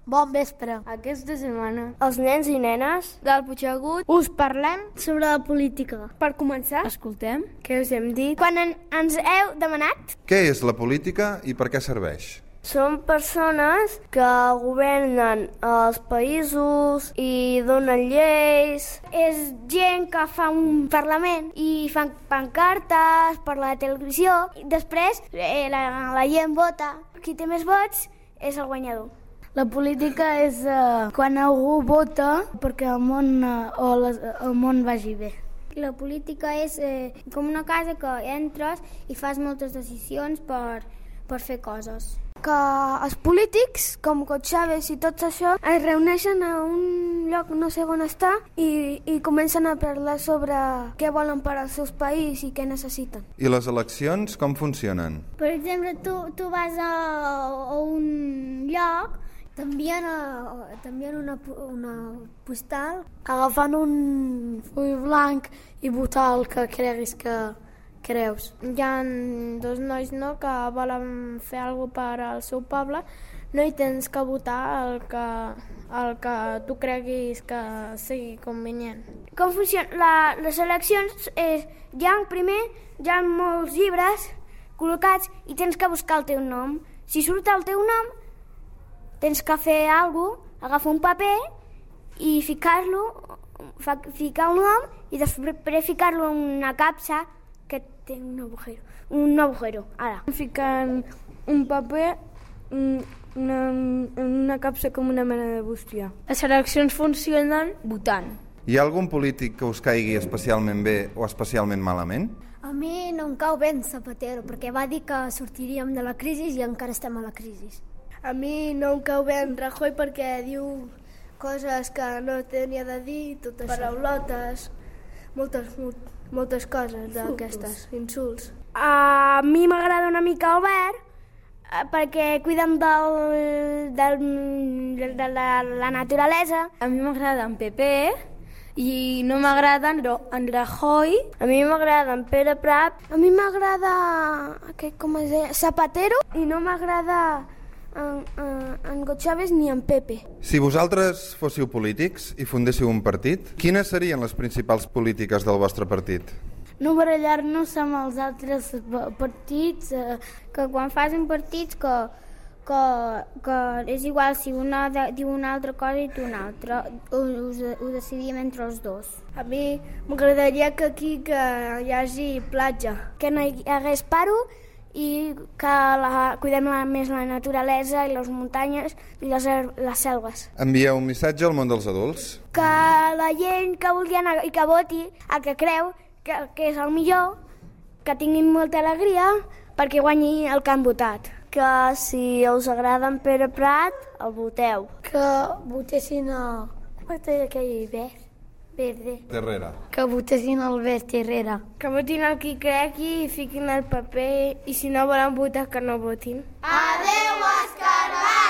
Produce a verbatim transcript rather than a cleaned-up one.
Bon vespre. Aquesta setmana els nens i nenes del Puigdegut us parlem sobre la política. Per començar, escoltem què us hem dit? Quan en, ens heu demanat? Què és la política i per què serveix? Són persones que governen els països i donen lleis. És gent que fa un parlament i fan pancartes per la televisió. I després eh, la, la gent vota. Qui té més vots és el guanyador. La política és uh, quan algú vota perquè el món, uh, o les, el món vagi bé. La política és eh, com una casa que entres i fas moltes decisions per, per fer coses. Que els polítics, com Chávez i tots això, es reuneixen a un lloc no sé on està i, i comencen a parlar sobre què volen per als seus països i què necessiten. I les eleccions com funcionen? Per exemple, tu, tu vas a, a un lloc, t'envien una, una postal, agafant un full blanc i votar el que creguis que creus. Hi ha dos nois no, que volen fer alguna cosa per al seu poble, no hi tens que votar el que, el que tu creguis que sigui convenient. Com funciona? La, les eleccions és, hi ha primer, hi ha molts llibres col·locats i tens que buscar el teu nom. Si surt el teu nom, tens que fer alguna cosa, agafar un paper i ficar-lo, ficar el nom i després ficar-lo en una capsa que té un agujero. Un agujero, ara. Fiquen un paper en una, una capsa com una mena de bústia. Les eleccions funcionen votant. Hi ha algun polític que us caigui especialment bé o especialment malament? A mi no em cau ben Zapatero, perquè va dir que sortiríem de la crisi i encara estem a la crisi. A mi no em cau ben Rajoy perquè diu coses que no tenia de dir, totes paraulotes, moltes, moltes, moltes coses d'aquestes, insults. A mi m'agrada una mica Albert perquè cuiden del, del, de la, la naturalesa. A mi m'agrada en Pepe i no m'agrada en Rajoy. A mi m'agrada en Pere Prat. A mi m'agrada com es deia, Zapatero i no m'agrada en, en, en Chávez ni en Pepe. Si vosaltres fóssiu polítics i fundéssiu un partit, quines serien les principals polítiques del vostre partit? No barallar-nos amb els altres partits, eh, que quan fas un partit que, que, que és igual si una de, diu una altra cosa i tu una altra, ho, ho decidim entre els dos. A mi m'agradaria que aquí que hi hagi platja, que no hi hagués paro i que la, cuidem la, més la naturalesa i les muntanyes i les, les selves. Envieu un missatge al món dels adults. Que la gent que vulgui anar i que voti el que creu que, que és el millor, que tinguin molta alegria perquè guanyi el que han votat. Que si us agrada en Pere Prat, el voteu. Que votessin a... com es deia aquell verd? Verde. Terrera. Que votessin el verd Terrera. Que votin el qui cregui i fiquin el paper i si no volen votar que no votin. Adéu, Escarbat!